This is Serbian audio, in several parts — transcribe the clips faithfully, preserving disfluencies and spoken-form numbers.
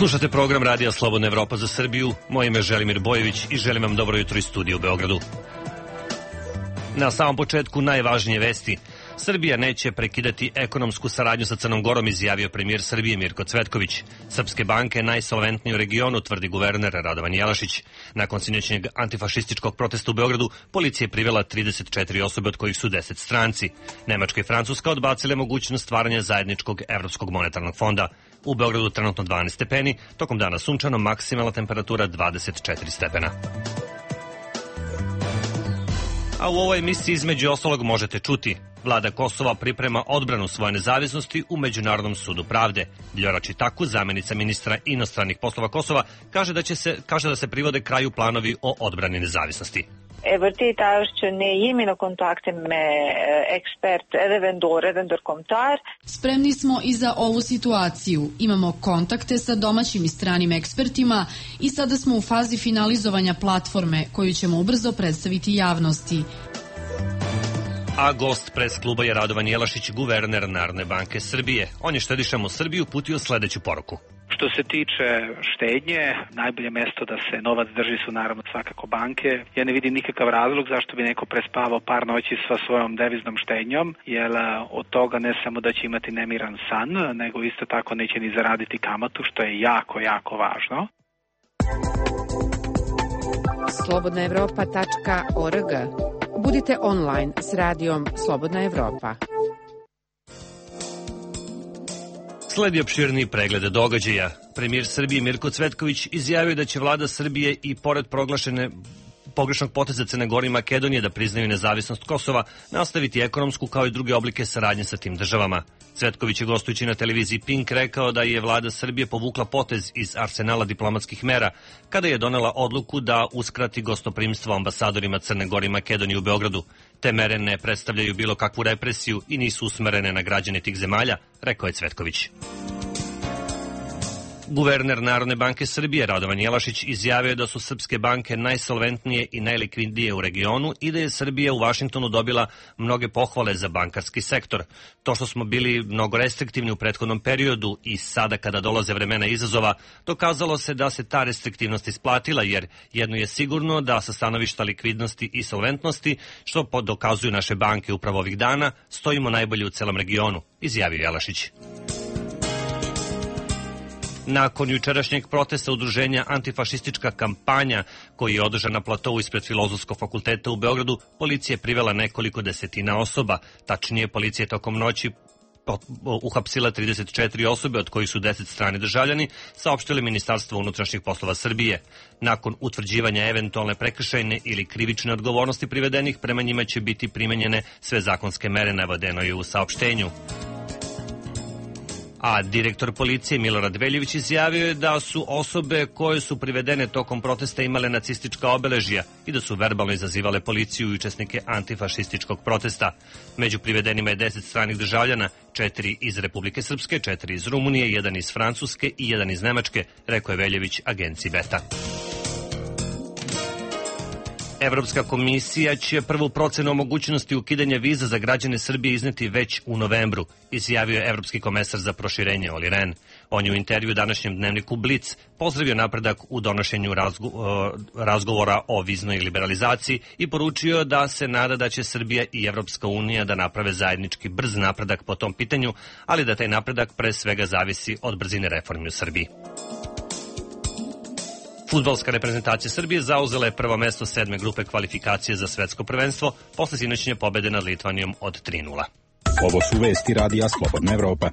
Slušate program Radija Slobodna Evropa za Srbiju. Moje ime je Želimir Bojević i želim vam dobro jutro iz studija u Beogradu. Na samom početku najvažnije vesti. Srbija neće prekidati ekonomsku saradnju sa Crnom Gorom, izjavio premijer Srbije Mirko Cvetković. Srpske banke je najsolventnije u regionu, tvrdi guverner Radovan Jelašić. Nakon sinoćnjeg antifašističkog protesta u Beogradu, policija je privela trideset četiri osobe, od kojih su deset stranci. Nemačka i Francuska odbacile mogućnost stvaranja zajedničkog Evropskog monetarnog fonda. U Beogradu trenutno dvanaest stepeni, tokom dana sunčano, maksimalna temperatura dvadeset četiri stepena. A u ovoj emisiji između ostalog možete čuti: Vlada Kosova priprema odbranu svoje nezavisnosti u Međunarodnom sudu pravde. Vljora Čitaku, zamenica ministra inostranih poslova Kosova, kaže da, će se, kaže da se privode kraju planovi o odbrani nezavisnosti. Spremni smo i za ovu situaciju. Imamo kontakte sa domaćim i stranim ekspertima i sada smo u fazi finalizovanja platforme koju ćemo ubrzo predstaviti javnosti. A gost pres kluba je Radovan Jelašić, guverner Narodne banke Srbije. On je štedišama u Srbiju uputio sledeću poruku. Što se tiče štednje, najbolje mesto da se novac drži su naravno svakako banke. Ja ne vidim nikakav razlog zašto bi neko prespavao par noći sa svojom deviznom štednjom, jer od toga ne samo da će imati nemiran san, nego isto tako neće ni zaraditi kamatu, što je jako, jako važno. slobodna evropa tačka org. Budite online s radijom Slobodna Evropa. Sledi opširni pregled događaja. Premijer Srbije Mirko Cvetković izjavio da će vlada Srbije i pored proglašene pogrešnog poteza Crne Gore i Makedonije da priznaju nezavisnost Kosova, nastaviti ekonomsku kao i druge oblike saradnje sa tim državama. Cvetković je gostujući na televiziji Pink rekao da je vlada Srbije povukla potez iz arsenala diplomatskih mera kada je donela odluku da uskrati gostoprimstvo ambasadorima Crne Gore i Makedonije u Beogradu. Te mere ne predstavljaju bilo kakvu represiju i nisu usmerene na građane tih zemalja, rekao je Cvetković. Guverner Narodne banke Srbije Radovan Jelašić izjavio da su srpske banke najsolventnije i najlikvidnije u regionu i da je Srbija u Vašingtonu dobila mnoge pohvale za bankarski sektor. To što smo bili mnogo restriktivni u prethodnom periodu i sada kada dolaze vremena izazova, dokazalo se da se ta restriktivnost isplatila, jer jedno je sigurno da sa stanovišta likvidnosti i solventnosti, što dokazuju naše banke upravo ovih dana, stojimo najbolje u celom regionu, izjavio Jelašić. Nakon jučerašnjeg protesta udruženja Antifašistička kampanja, koji je održan na platovu ispred Filozofskog fakulteta u Beogradu, policija je privela nekoliko desetina osoba. Tačnije, policija je tokom noći uhapsila trideset četiri osobe, od kojih su deset strani državljani, saopštili Ministarstvo unutrašnjih poslova Srbije. Nakon utvrđivanja eventualne prekršajne ili krivične odgovornosti privedenih, prema njima će biti primenjene sve zakonske mere, navedeno je u saopštenju. A direktor policije Milorad Veljević izjavio je da su osobe koje su privedene tokom protesta imale nacistička obeležja i da su verbalno izazivale policiju i učesnike antifašističkog protesta. Među privedenima je deset stranih državljana, četiri iz Republike Srpske, četiri iz Rumunije, jedan iz Francuske i jedan iz Nemačke, rekao je Veljević agenciji Beta. Evropska komisija će prvu procenu o mogućnosti ukidanja viza za građane Srbije izneti već u novembru, izjavio je evropski komesar za proširenje Olli Rehn. On je u intervju današnjem dnevniku Blic pozdravio napredak u donošenju razgo razgovora o viznoj liberalizaciji i poručio da se nada da će Srbija i Evropska unija da naprave zajednički brz napredak po tom pitanju, ali da taj napredak pre svega zavisi od brzine reformi u Srbiji. Fudbalska reprezentacija Srbije zauzela je prvo mesto sedme grupe kvalifikacije za svetsko prvenstvo posle sinoćnje pobede nad Litvanijom od tri nula. Ovo su vesti Radija Slobodna Evropa.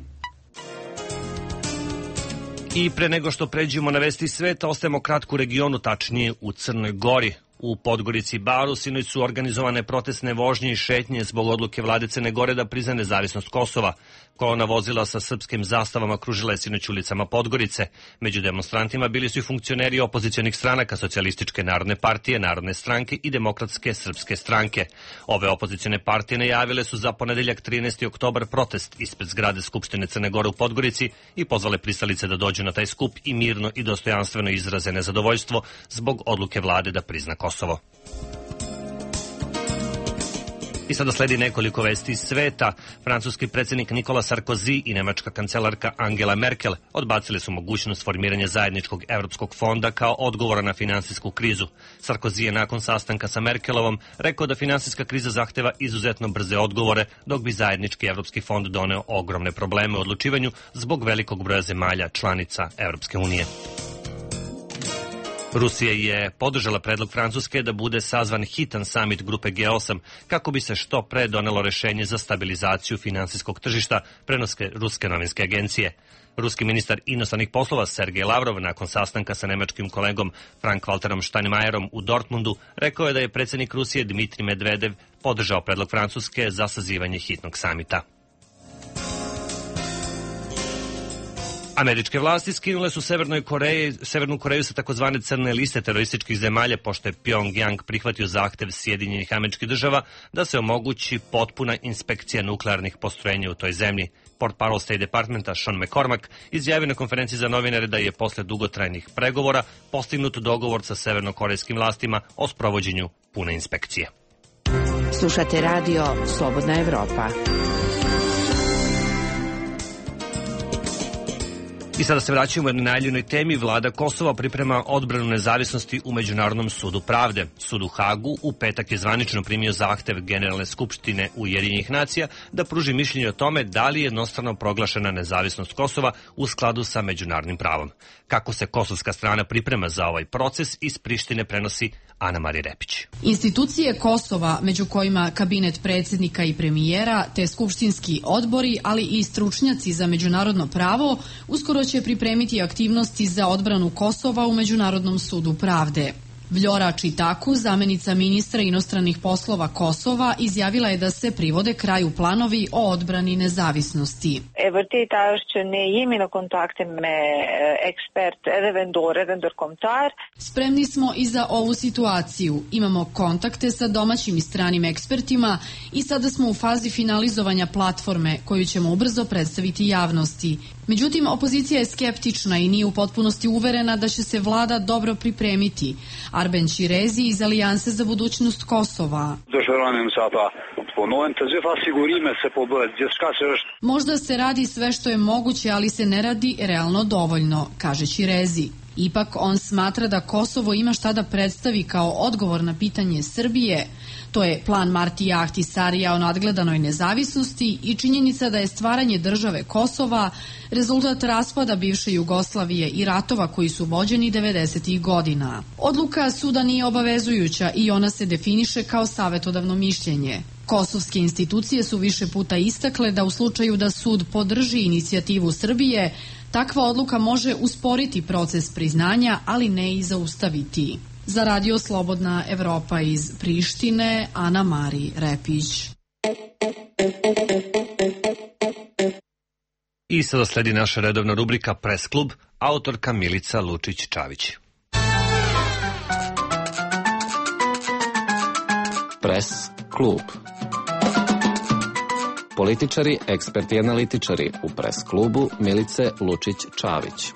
I pre nego što pređemo na vesti sveta, ostajemo kratko u regionu, tačnije u Crnoj Gori. U Podgorici i Baru sinoć su organizovane protestne vožnje i šetnje zbog odluke vlade Crne Gore da prizna nezavisnost Kosova. Kolona vozila sa srpskim zastavama kružila je sinoć ulicama Podgorice. Među demonstrantima bili su i funkcioneri opozicionih stranaka Socijalističke narodne partije, Narodne stranke i Demokratske srpske stranke. Ove opozicione partije najavile su za ponedeljak trinaesti oktobar protest ispred zgrade Skupštine Crne Gore u Podgorici i pozvale pristalice da dođu na taj skup i mirno i dostojanstveno izraze nezadovoljstvo zbog odluke vlade da prizna Kosovo. I sada sledi nekoliko vesti iz sveta. Francuski predsjednik Nikola Sarkozy i nemačka kancelarka Angela Merkel odbacili su mogućnost formiranja zajedničkog evropskog fonda kao odgovora na finansijsku krizu. Sarkozy je nakon sastanka sa Merkelovom rekao da finansijska kriza zahteva izuzetno brze odgovore, dok bi zajednički evropski fond doneo ogromne probleme u odlučivanju zbog velikog broja zemalja članica Evropske unije. Rusija je podržala predlog Francuske da bude sazvan hitan samit grupe G osam kako bi se što pre donelo rešenje za stabilizaciju finansijskog tržišta, prenoske ruske novinske agencije. Ruski ministar inostranih poslova Sergej Lavrov nakon sastanka sa nemačkim kolegom Frank-Walterom Steinmeierom u Dortmundu rekao je da je predsjednik Rusije Dmitrij Medvedev podržao predlog Francuske za sazivanje hitnog samita. Američke vlasti skinule su Severnoj Koreji, Severnu Koreju sa takozvane crne liste terorističkih zemalja, pošto je Pyongyang prihvatio zahtev Sjedinjenih Američkih Država da se omogući potpuna inspekcija nuklearnih postrojenja u toj zemlji. Portparol State Departmenta Sean McCormack izjavio na konferenciji za novinare da je posle dugotrajnih pregovora postignut dogovor sa severnokorejskim vlastima o sprovođenju pune inspekcije. Slušate radio Slobodna Evropa. I sada se vraćamo u jednoj najavljenoj temi. Vlada Kosova priprema odbranu nezavisnosti u Međunarodnom sudu pravde. Sud u Hagu u petak je zvanično primio zahtev Generalne skupštine Ujedinjenih nacija da pruži mišljenje o tome da li je jednostrano proglašena nezavisnost Kosova u skladu sa međunarodnim pravom. Kako se kosovska strana priprema za ovaj proces, iz Prištine prenosi Ana Marija Repić. Institucije Kosova, među kojima kabinet predsjednika i premijera, te skupštinski odbori, ali i stručnjaci za međunarodno pravo, uskoro će pripremiti aktivnosti za odbranu Kosova u Međunarodnom sudu pravde. Vljora Čitaku, zamenica ministra inostranih poslova Kosova, izjavila je da se privode kraju planovi o odbrani nezavisnosti. Spremni smo i za ovu situaciju. Imamo kontakte sa domaćim i stranim ekspertima i sada smo u fazi finalizovanja platforme koju ćemo ubrzo predstaviti javnosti. Međutim, opozicija je skeptična i nije u potpunosti uverena da će se vlada dobro pripremiti. Arben Ćirezi iz Alijanse za budućnost Kosova. Možda se radi sve što je moguće, ali se ne radi realno dovoljno, kaže Ćirezi. Ipak on smatra da Kosovo ima šta da predstavi kao odgovor na pitanje Srbije. To je plan Martija Ahtisarija o nadgledanoj nezavisnosti i činjenica da je stvaranje države Kosova rezultat raspada bivše Jugoslavije i ratova koji su vođeni devedesetih godina. Odluka suda nije obavezujuća i ona se definiše kao savetodavno mišljenje. Kosovske institucije su više puta istakle da u slučaju da sud podrži inicijativu Srbije, takva odluka može usporiti proces priznanja, ali ne i zaustaviti. Za Radio Slobodna Evropa iz Prištine, Ana Marija Repić. I sada sledi naša redovna rubrika Press klub, autorka Milica Lučić-Čavić. Press klub. Političari, eksperti i analitičari u Press klubu Milice Lučić-Čavić.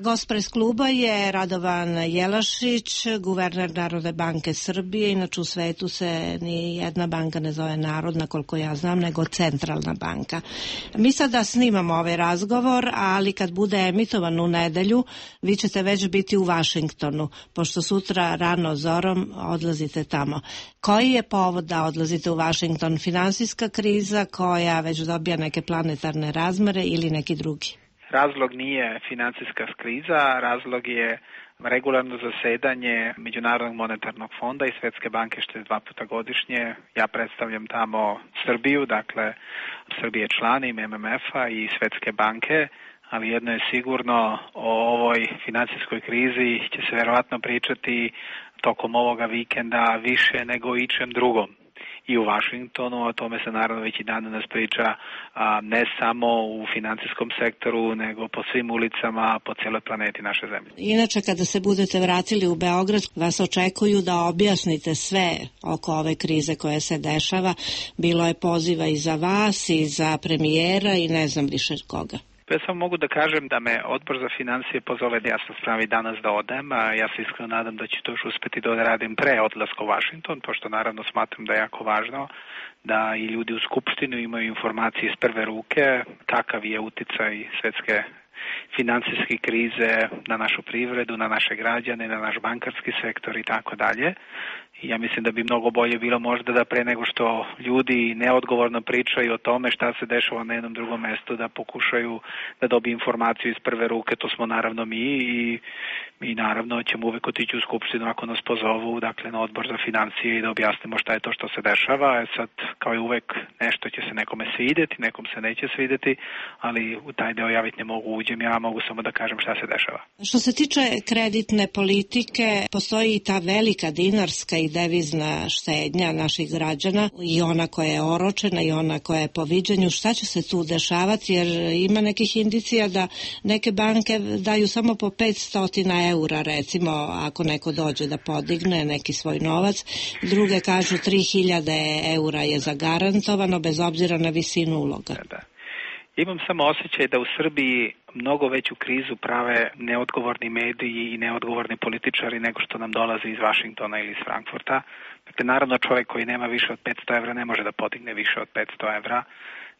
Gost Press kluba je Radovan Jelašić, guverner Narodne banke Srbije. Inače u svetu se ni jedna banka ne zove Narodna, koliko ja znam, nego Centralna banka. Mi sada snimamo ovaj razgovor, ali kad bude emitovan u nedelju, vi ćete već biti u Vašingtonu, pošto sutra rano zorom odlazite tamo. Koji je povod da odlazite u Vašington? Finansijska kriza koja već dobija neke planetarne razmere ili neki drugi? Razlog nije financijska kriza, razlog je regularno zasedanje Međunarodnog monetarnog fonda i Svetske banke što je dva puta godišnje. Ja predstavljam tamo Srbiju, dakle Srbije je član M M F-a i Svetske banke, ali jedno je sigurno, o ovoj financijskoj krizi će se verovatno pričati tokom ovoga vikenda više nego o ičem drugom. I u Vašingtonu, o tome se naravno već i dan danas priča, a, ne samo u finansijskom sektoru, nego po svim ulicama, po cijeloj planeti naše zemlje. Inače, kada se budete vratili u Beograd, vas očekuju da objasnite sve oko ove krize koja se dešava. Bilo je poziva i za vas, i za premijera, i ne znam više koga. Ja samo mogu da kažem da me Odbor za financije pozove da ja sam spravim danas da odem, a ja se iskreno nadam da ću to još uspeti da radim pre odlaska u Vašington, pošto naravno smatram da je jako važno da i ljudi u Skupštinu imaju informacije iz prve ruke, kakav je uticaj svetske finansijske krize na našu privredu, na naše građane, na naš bankarski sektor i tako dalje. I ja mislim da bi mnogo bolje bilo možda da pre nego što ljudi neodgovorno pričaju o tome šta se dešava na jednom drugom mestu, da pokušaju da dobiju informaciju iz prve ruke, to smo naravno mi i mi naravno ćemo uvek otići u Skupštinu ako nas pozovu, dakle na Odbor za financije i da objasnimo šta je to što se dešava. E sad, kao i uvek, nešto će se nekome svideti, nekom se neće svideti, ali u taj deo ja već ne mogu uđem, ja mogu samo da kažem šta se dešava. Što se tiče kreditne politike, postoji i ta velika dinarska i devizna štednja naših građana, i ona koja je oročena i ona koja je po viđenju. Šta će se tu dešavati, jer ima nekih indicija da neke banke daju samo po petsto eura, recimo, ako neko dođe da podigne neki svoj novac, druge kažu tri hiljade eura je zagarantovano bez obzira na visinu uloga. Da, da. Imam samo osjećaj da u Srbiji mnogo veću krizu prave neodgovorni mediji i neodgovorni političari nego što nam dolaze iz Vašingtona ili iz Frankfurta. Dakle, naravno čovjek koji nema više od petsto evra ne može da podigne više od petsto evra.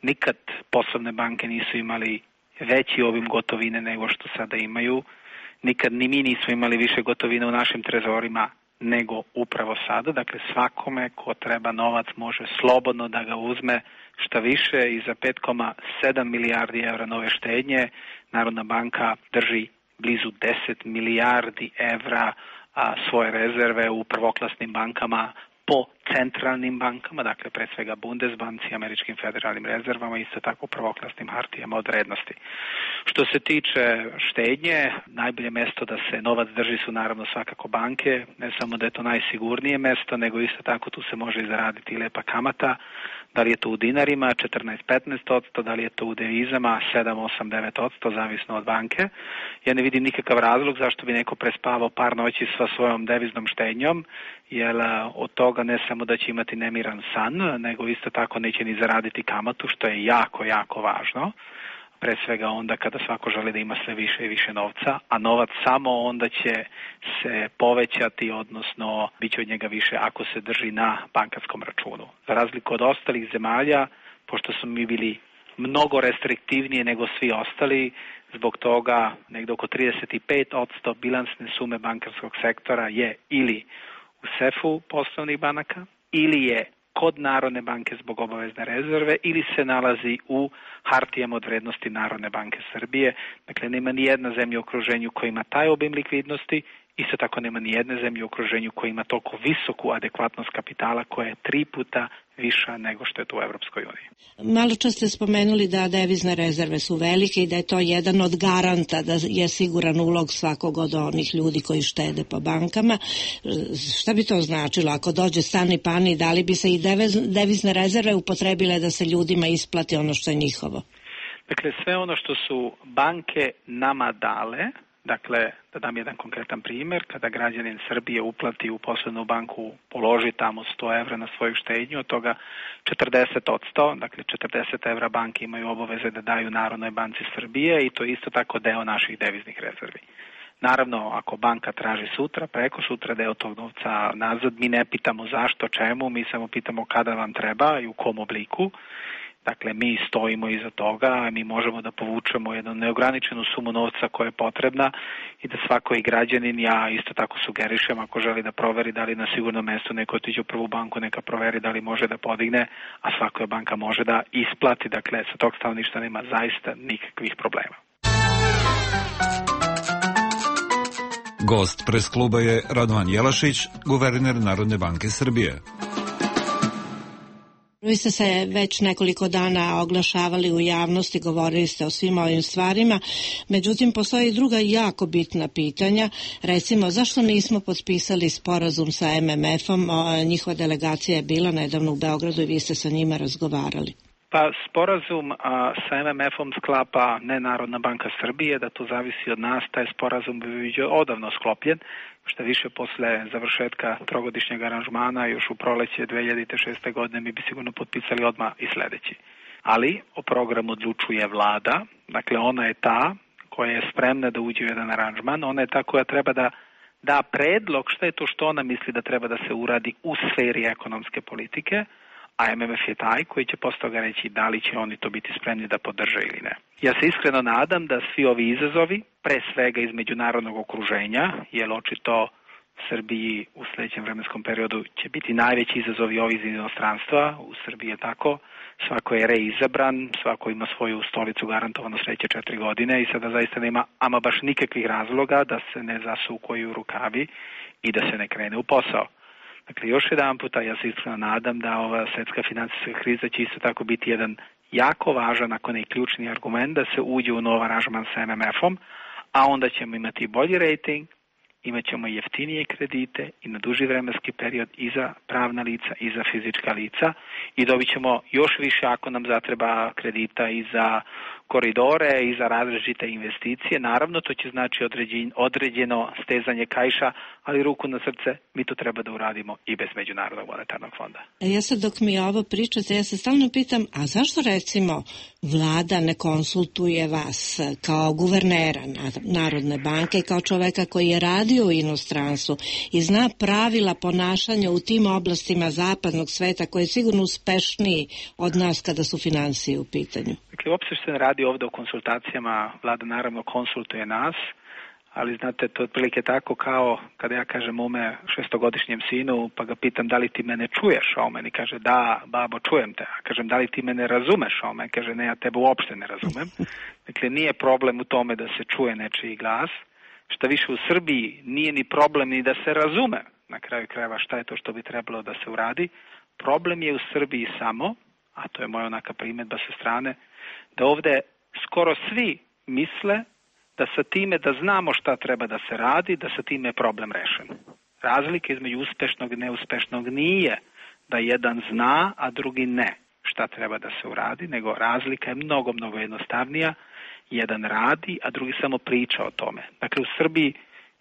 Nikad poslovne banke nisu imali veći obim gotovine nego što sada imaju. Nikad ni mi nismo imali više gotovine u našim trezorima nego upravo sada. Dakle, svakome ko treba novac može slobodno da ga uzme, šta više, i za pet zarez sedam milijardi evra nove štednje Narodna banka drži blizu deset milijardi evra a, svoje rezerve u prvoklasnim bankama po centralnim bankama, dakle pre svega Bundesbanci, američkim federalnim rezervama, isto tako prvoklasnim hartijama od vrednosti. Što se tiče štednje, najbolje mesto da se novac drži su naravno svakako banke, ne samo da je to najsigurnije mesto, nego isto tako tu se može i zaraditi i lepa kamata, da li je to u dinarima četrnaest do petnaest odsto, da li je to u devizama sedam, osam, devet odsto, zavisno od banke. Ja ne vidim nikakav razlog zašto bi neko prespavao par noći sa svojom deviznom štednjom, jer od toga ne samo da će imati nemiran san, nego isto tako neće ni zaraditi kamatu, što je jako, jako važno. Pre svega onda kada svako želi da ima sve više i više novca, a novac samo onda će se povećati, odnosno bit će od njega više ako se drži na bankarskom računu. Za razliku od ostalih zemalja, pošto smo mi bili mnogo restriktivnije nego svi ostali, zbog toga negde oko trideset pet odsto bilansne sume bankarskog sektora je ili u sefu poslovnih banaka, ili je kod Narodne banke zbog obavezne rezerve, ili se nalazi u hartijama od vrednosti Narodne banke Srbije. Dakle, nema ni jedna zemlja u okruženju koja ima taj obim likvidnosti, isto tako nema ni jedne zemlje u okruženju koja ima toliko visoku adekvatnost kapitala koja je tri puta viša nego što je to u Evropskoj uniji. Malo čas ste spomenuli da devizne rezerve su velike i da je to jedan od garanta da je siguran ulog svakog od onih ljudi koji štede po bankama. Šta bi to značilo? Ako dođe stani pani, da li bi se i devizne rezerve upotrebile da se ljudima isplati ono što je njihovo? Dakle, sve ono što su banke nama dale, dakle, da dam jedan konkretan primjer, kada građanin Srbije uplati u poslovnu banku, položi tamo sto evra na svoju štednju, od toga četrdeset odsto, dakle četrdeset evra banke imaju obaveze da daju Narodnoj banci Srbije i to je isto tako deo naših deviznih rezervi. Naravno, ako banka traži sutra, preko sutra deo tog novca nazad, mi ne pitamo zašto, čemu, mi samo pitamo kada vam treba i u kom obliku. Dakle, mi stojimo iza toga, mi možemo da povučemo jednu neograničenu sumu novca koja je potrebna i da svako i građanin, ja isto tako sugerišem, ako želi da proveri da li na sigurnom mestu neko otiđe u prvu banku, neka proveri da li može da podigne, a svaka banka može da isplati. Dakle, sa tog stanovišta nema zaista nikakvih problema. Gost pres kluba je Radovan Jelašić, guverner Narodne banke Srbije. Vi ste se već nekoliko dana oglašavali u javnosti, govorili ste o svim ovim stvarima, međutim postoji druga jako bitna pitanja, recimo zašto nismo potpisali sporazum sa em em efom, njihova delegacija je bila nedavno u Beogradu i vi ste sa njima razgovarali. Pa sporazum a, sa em em efom sklapa ne Narodna banka Srbije, da to zavisi od nas, taj sporazum bi bio odavno sklopljen, što više posle završetka trogodišnjeg aranžmana još u proleće dve hiljade šeste godine mi bi sigurno potpisali odmah i sledeći. Ali o programu odlučuje vlada, dakle ona je ta koja je spremna da uđe u jedan aranžman, ona je ta koja treba da da predlog šta je to što ona misli da treba da se uradi u sferi ekonomske politike, a M M F je taj koji će posle toga reći da li će oni to biti spremni da podrže ili ne. Ja se iskreno nadam da svi ovi izazovi, pre svega iz međunarodnog okruženja, jer očito Srbiji u sljedećem vremenskom periodu će biti najveći izazovi ovi iz inostranstva, u Srbiji je tako, svako je reizabran, svako ima svoju stolicu garantovano sljedeće četiri godine i sada zaista nema ama baš nikakvih razloga da se ne zasukaju rukavi i da se ne krene u posao. Dakle, još jedan puta ja se iskreno nadam da ova svetska financijska kriza će isto tako biti jedan jako važan, ako ne i ključni argument da se uđe u nov aranžman sa M M F-om, a onda ćemo imati bolji rating, imat ćemo jeftinije kredite i na duži vremenski period i za pravna lica i za fizička lica i dobit ćemo još više ako nam zatreba kredita i za koridore i za različite investicije. Naravno, to će znači određeno stezanje kaiša, ali ruku na srce, mi to treba da uradimo i bez Međunarodnog monetarnog fonda. Ja sad dok mi ovo pričate, ja se stalno pitam, a zašto recimo vlada ne konsultuje vas kao guvernera Narodne banke, kao čoveka koji je radio u inostranstvu i zna pravila ponašanja u tim oblastima zapadnog sveta koji je sigurno uspešniji od nas kada su finansije u pitanju? Dakle, uopšte se ne radi ovdje o konsultacijama, vlada naravno konsultuje nas, ali znate, to je otprilike tako kao kada ja kažem mome šestogodišnjem sinu, pa ga pitam da li ti mene čuješ, a on meni kaže da, babo, čujem te, a kažem da li ti mene razumeš, a on meni kaže ne, ja tebe uopšte ne razumem. Dakle, nije problem u tome da se čuje nečiji glas, šta više u Srbiji nije ni problem ni da se razume, na kraju krajeva šta je to što bi trebalo da se uradi, problem je u Srbiji samo, a to je moja onaka primjedba sa strane, da ovdje skoro svi misle da sa time da znamo šta treba da se radi, da sa time je problem rešen. Razlika između uspešnog i neuspešnog nije da jedan zna, a drugi ne šta treba da se uradi, nego razlika je mnogo, mnogo jednostavnija. Jedan radi, a drugi samo priča o tome. Dakle, u Srbiji,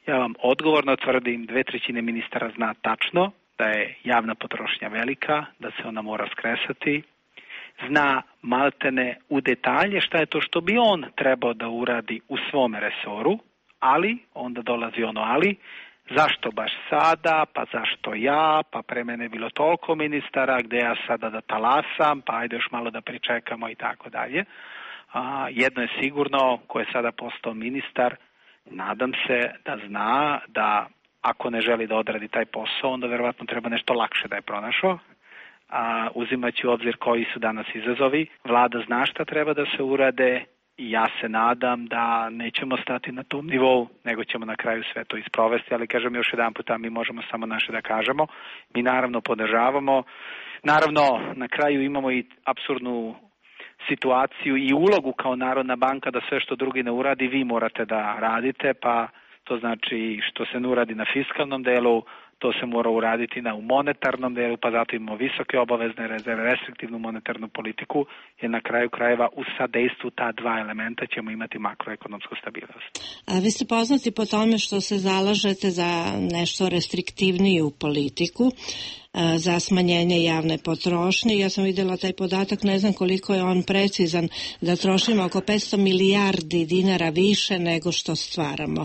ja vam odgovorno tvrdim, dve trećine ministara zna tačno da je javna potrošnja velika, da se ona mora skresati, zna maltene u detalje šta je to što bi on trebao da uradi u svome resoru, ali, onda dolazi ono ali, zašto baš sada, pa zašto ja, pa pre mene je bilo toliko ministara, gde ja sada da talasam, pa ajde još malo da pričekamo i tako dalje. A, jedno je sigurno, ko je sada postao ministar, nadam se da zna da ako ne želi da odradi taj posao, onda verovatno treba nešto lakše da je pronašao. A, uzimajući u obzir koji su danas izazovi, vlada zna šta treba da se urade i ja se nadam da nećemo stati na tom nivou, nego ćemo na kraju sve to isprovesti, ali kažem još jedan puta, mi možemo samo naše da kažemo. Mi naravno podržavamo, naravno na kraju imamo i apsurdnu situaciju i ulogu kao Narodna banka da sve što drugi ne uradi, vi morate da radite, pa to znači što se ne uradi na fiskalnom delu, to se mora uraditi na u monetarnom delu, pa zato imamo visoke obavezne rezerve, restriktivnu monetarnu politiku, jer na kraju krajeva u sadejstvu ta dva elementa ćemo imati makroekonomsku stabilnost. A vi ste poznati po tome što se zalažete za nešto restriktivniju politiku, za smanjenje javne potrošnje. Ja sam vidjela taj podatak, ne znam koliko je on precizan, da trošimo oko petsto milijardi dinara više nego što stvaramo.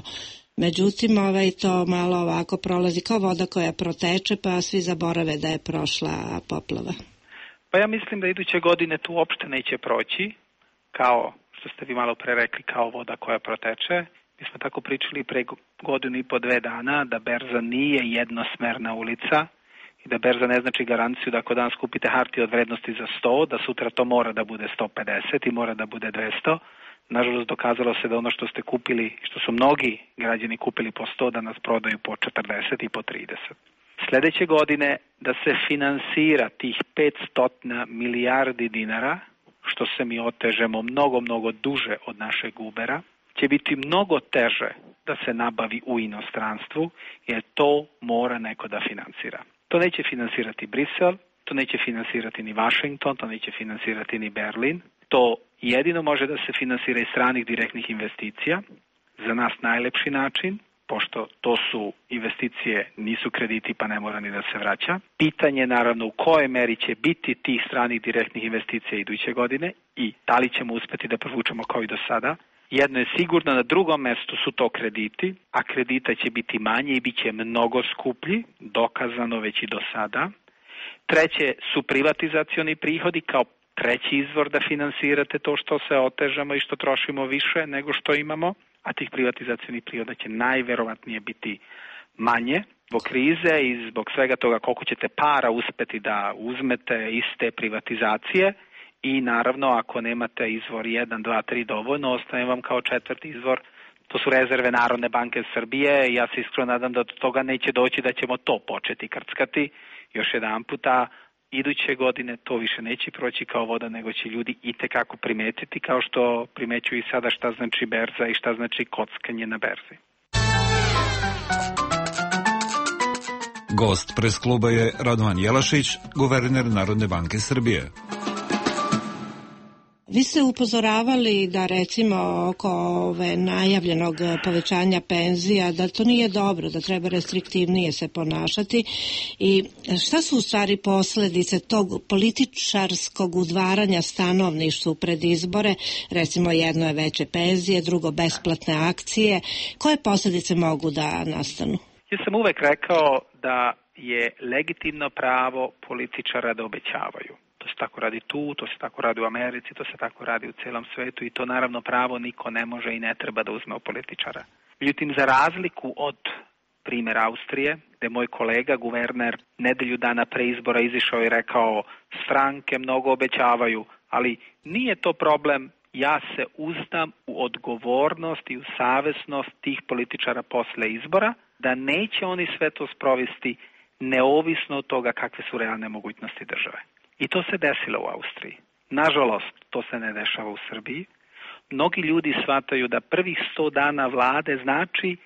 Međutim, ovaj to malo ovako prolazi kao voda koja proteče, pa svi zaborave da je prošla poplava. Pa ja mislim da iduće godine tu uopšte neće proći, kao što ste vi malo pre rekli, kao voda koja proteče. Mi smo tako pričali pre godinu i po dve dana da berza nije jednosmerna ulica i da berza ne znači garanciju da ako danas kupite hartije od vrednosti za sto, da sutra to mora da bude sto pedeset i mora da bude dvesta. Nažalost, dokazalo se da ono što ste kupili, što su mnogi građani kupili po sto, da nas prodaju po četrdeset i po trideset. Sljedeće godine da se finansira tih petsto milijardi dinara, što se mi otežemo mnogo, mnogo duže od našeg Ubera, će biti mnogo teže da se nabavi u inostranstvu, jer to mora neko da finansira. To neće finansirati Brisel, to neće finansirati ni Washington, to neće finansirati ni Berlin. To jedino može da se finansira iz stranih direktnih investicija, za nas najlepši način, pošto to su investicije, nisu krediti pa ne mora ni da se vraća. Pitanje naravno u kojoj meri će biti tih stranih direktnih investicija iduće godine i da li ćemo uspeti da provučemo kao i do sada. Jedno je sigurno, na drugom mestu su to krediti, a kredita će biti manje i bit će mnogo skuplji, dokazano već i do sada. Treće su privatizacioni prihodi kao treći izvor da finansirate to što se otežamo i što trošimo više nego što imamo, a tih privatizacionih prihoda će najverovatnije biti manje zbog krize i zbog svega toga koliko ćete para uspeti da uzmete iz te privatizacije i naravno ako nemate izvor jedan, dva, tri dovoljno, ostaje vam kao četvrti izvor. To su rezerve Narodne banke Srbije i ja se iskreno nadam da do toga neće doći, da ćemo to početi krckati. Još jedan puta, iduće godine to više neće proći kao voda, nego će ljudi itekako primetiti, kao što primećuju i sada šta znači berza i šta znači kockanje na berzi. Gost pres kluba je Radovan Jelašić, guverner Narodne banke Srbije. Vi ste upozoravali da recimo oko ove najavljenog povećanja penzija, da to nije dobro, da treba restriktivnije se ponašati. I šta su u stvari posledice tog političarskog udvaranja stanovništvu pred izbore? Recimo jedno je veće penzije, drugo besplatne akcije. Koje posljedice mogu da nastanu? Ja sam uvek rekao da je legitimno pravo političara da obećavaju. To se tako radi tu, to se tako radi u Americi, to se tako radi u celom svetu i to naravno pravo niko ne može i ne treba da uzme od političara. Međutim, za razliku od primjera Austrije, gde moj kolega, guverner, nedelju dana pre izbora izišao i rekao stranke mnogo obećavaju, ali nije to problem, ja se uzdam u odgovornost i u savesnost tih političara posle izbora, da neće oni sve to sprovesti neovisno od toga kakve su realne mogućnosti države. I to se desilo u Austriji. Nažalost, to se ne dešava u Srbiji. Mnogi ljudi shvataju da prvih sto dana vlade znači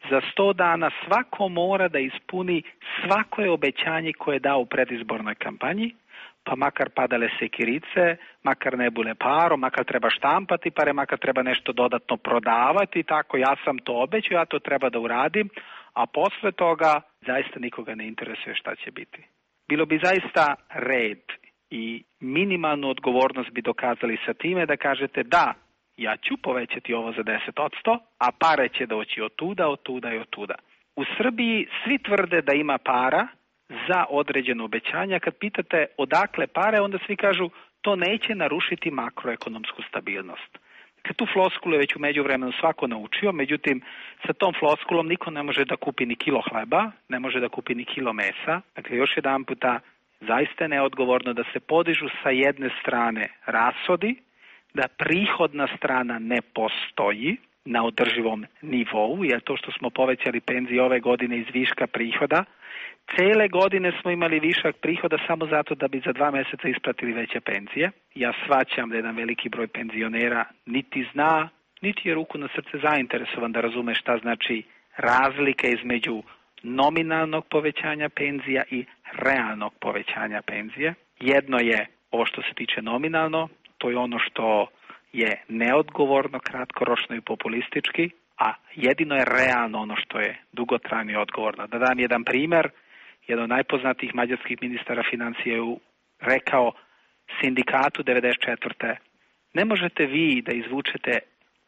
za sto dana svako mora da ispuni svako je obećanje koje je dao u predizbornoj kampanji, pa makar padale sekirice, makar ne bule paro, makar treba štampati pare, makar treba nešto dodatno prodavati, tako ja sam to obećao, ja to treba da uradim, a posle toga zaista nikoga ne interesuje šta će biti. Bilo bi zaista red i minimalnu odgovornost bi dokazali sa time da kažete da, ja ću povećati ovo za deset posto, a pare će doći od tuda, od tuda i od tuda. U Srbiji svi tvrde da ima para za određeno obećanja. Kad pitate odakle pare, onda svi kažu to neće narušiti makroekonomsku stabilnost. Kad tu floskulu je već u međuvremenu svako naučio, međutim sa tom floskulom niko ne može da kupi ni kilo hleba, ne može da kupi ni kilo mesa. Dakle, još jedan puta, zaista je neodgovorno da se podižu sa jedne strane rashodi, da prihodna strana ne postoji na održivom nivou, jer to što smo povećali penzije ove godine iz viška prihoda, cele godine smo imali višak prihoda samo zato da bi za dva meseca isplatili veće penzije. Ja shvaćam da jedan veliki broj penzionera niti zna, niti je ruku na srce zainteresovan da razume šta znači razlika između nominalnog povećanja penzija i realnog povećanja penzije. Jedno je ovo što se tiče nominalno, to je ono što je neodgovorno, kratkoročno i populistički, a jedino je realno ono što je dugotrajno i odgovorno. Da dam jedan primer, jedan od najpoznatijih mađarskih ministara financija je rekao sindikatu devedeset četvrte ne možete vi da izvučete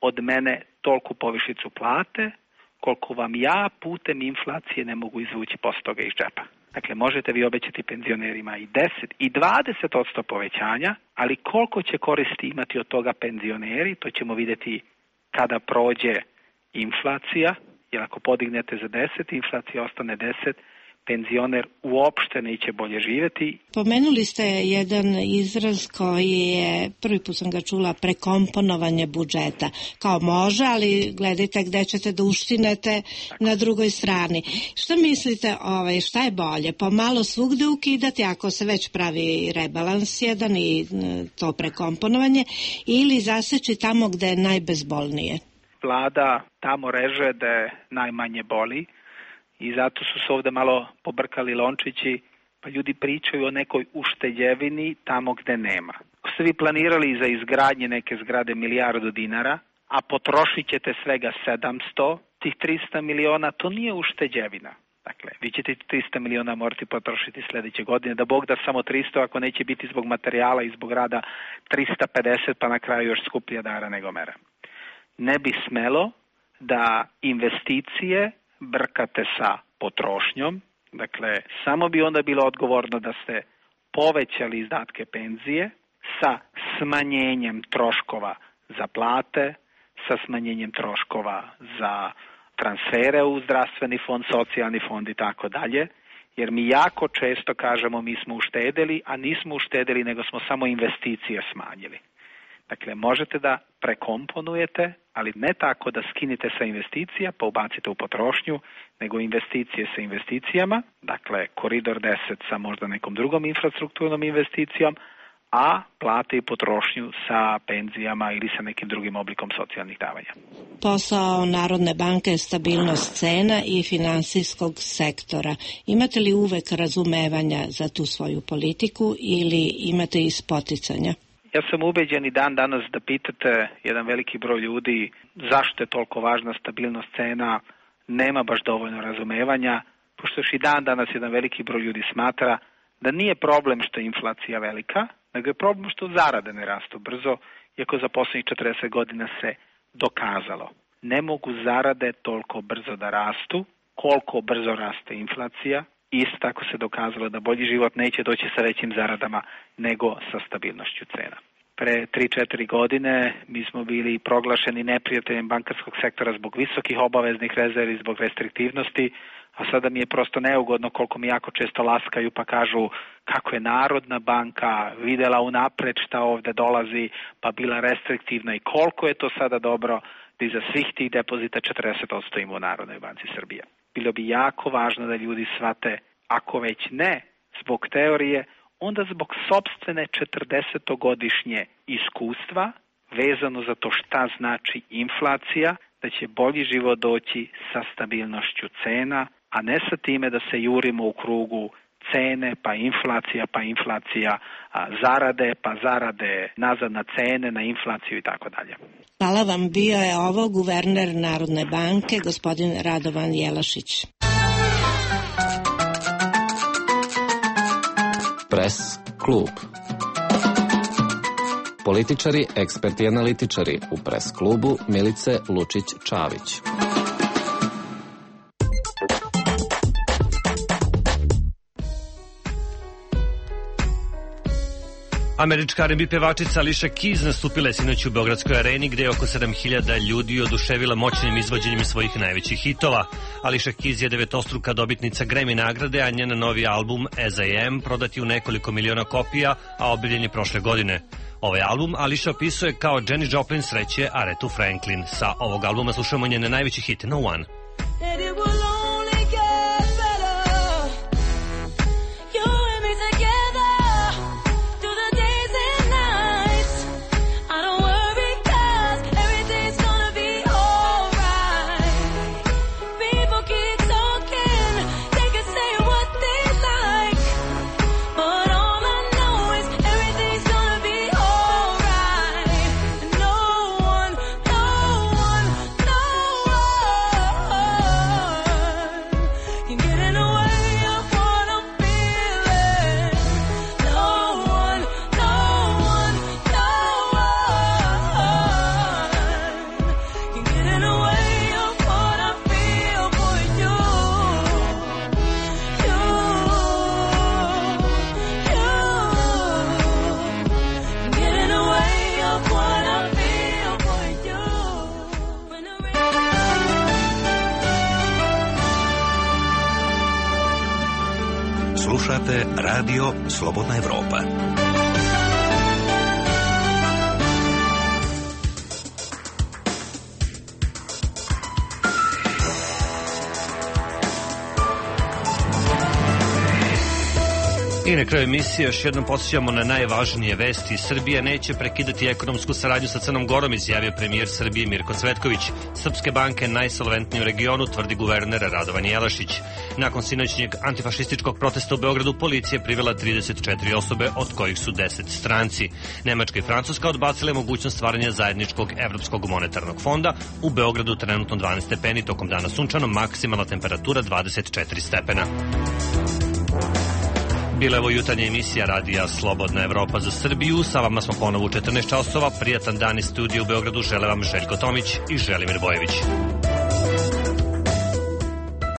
od mene tolku povišicu plate, koliko vam ja putem inflacije ne mogu izvući posto toga iz džepa. Dakle, možete vi obećati penzionerima i deset i dvadeset posto povećanja, ali koliko će koristi imati od toga penzioneri, to ćemo vidjeti kada prođe inflacija, jer ako podignete za deset, inflacija ostane deset, penzioner uopšte neće bolje živjeti. Pomenuli ste jedan izraz koji je, prvi put sam ga čula, prekomponovanje budžeta. Kao može, ali gledajte gde ćete da uštinete na drugoj strani. Šta mislite, ovaj, šta je bolje? Pomalo svugde ukidati ako se već pravi rebalans jedan i to prekomponovanje, ili zaseći tamo gde je najbezbolnije? Vlada tamo reže da je najmanje boli, i zato su se ovde malo pobrkali lončići, pa ljudi pričaju o nekoj ušteđevini tamo gde nema. Ako ste vi planirali za izgradnje neke zgrade milijardu dinara, a potrošit ćete svega sedamsto, tih trista miliona, to nije ušteđevina. Dakle, vi ćete trista miliona morati potrošiti sljedeće godine, da Bog da samo tristo, ako neće biti zbog materijala i zbog rada trista pedeset, pa na kraju još skuplja dara nego mera. Ne bi smelo da investicije brkate sa potrošnjom, dakle, samo bi onda bilo odgovorno da ste povećali izdatke penzije sa smanjenjem troškova za plate, sa smanjenjem troškova za transfere u zdravstveni fond, socijalni fond i tako dalje, jer mi jako često kažemo mi smo uštedeli, a nismo uštedeli, nego smo samo investicije smanjili. Dakle, možete da prekomponujete, ali ne tako da skinite sa investicija pa ubacite u potrošnju, nego investicije sa investicijama, dakle koridor deset sa možda nekom drugom infrastrukturnom investicijom, a plate i potrošnju sa penzijama ili sa nekim drugim oblikom socijalnih davanja. Posao Narodne banke je stabilnost cena i finansijskog sektora. Imate li uvek razumevanja za tu svoju politiku ili imate i spoticanja? Ja sam ubeđen i dan danas da pitate jedan veliki broj ljudi zašto je toliko važna stabilnost cena, nema baš dovoljno razumevanja, pošto još i dan danas jedan veliki broj ljudi smatra da nije problem što je inflacija velika, nego je problem što zarade ne rastu brzo, iako za posljednjih četrdeset godina se dokazalo. Ne mogu zarade toliko brzo da rastu, koliko brzo raste inflacija. Isto tako se dokazalo da bolji život neće doći sa većim zaradama nego sa stabilnošću cena. Pre tri četiri godine mi smo bili proglašeni neprijateljem bankarskog sektora zbog visokih obaveznih rezervi, zbog restriktivnosti, a sada mi je prosto neugodno koliko mi jako često laskaju pa kažu kako je Narodna banka videla unapred šta ovde dolazi pa bila restriktivna i koliko je to sada dobro da iza svih tih depozita četrdeset posto ima u Narodnoj banci Srbije. Bilo bi jako važno da ljudi shvate, ako već ne zbog teorije, onda zbog sopstvene četrdesetogodišnje iskustva vezano za to šta znači inflacija, da će bolji život doći sa stabilnošću cena, a ne sa time da se jurimo u krugu cene, pa inflacija, pa inflacija, a zarade, pa zarade nazad na cene, na inflaciju i tako dalje. Hvala vam, bio je ovo guverner Narodne banke, gospodin Radovan Jelašić. Press klub. Političari, eksperti i analitičari u Press klubu Milice Lučić-Čavić. Američka ar en bi pevačica Alicia Keys nastupila je sinoć u Beogradskoj areni gde je oko sedam hiljada ljudi oduševila moćnim izvođenjem svojih najvećih hitova. Alicia Keys je devetostruka dobitnica Grammy nagrade, a njen novi album As I Am prodat je u nekoliko miliona kopija, a objavljen je prošle godine. Ovaj album Alicia opisuje kao Janis Joplin sreće Arethu Franklin. Sa ovog albuma slušamo njene najveći hit No One. Slušate Radio Slobodna Evropa. I na kraju emisije još jednom podsjećamo na najvažnije vesti. Srbija neće prekidati ekonomsku saradnju sa Crnom Gorom, izjavio premijer Srbije Mirko Cvetković. Srpske banke najsolventnije u regionu, tvrdi guverner Radovan Jelašić. Nakon sinoćnjeg antifašističkog protesta u Beogradu, policija privela trideset četiri osobe, od kojih su deset stranci. Nemačka i Francuska odbacile mogućnost stvaranja zajedničkog evropskog monetarnog fonda. U Beogradu trenutno dvanaest stepeni, tokom dana sunčano, maksimalna temperatura dvadeset četiri stepena. Bila je ovo jutarnja emisija radija Slobodna Evropa za Srbiju. Sa vama smo ponovo u četrnaest časova. Prijatan dan iz studija u Beogradu žele vam Željko Tomić i Želimir Bojević.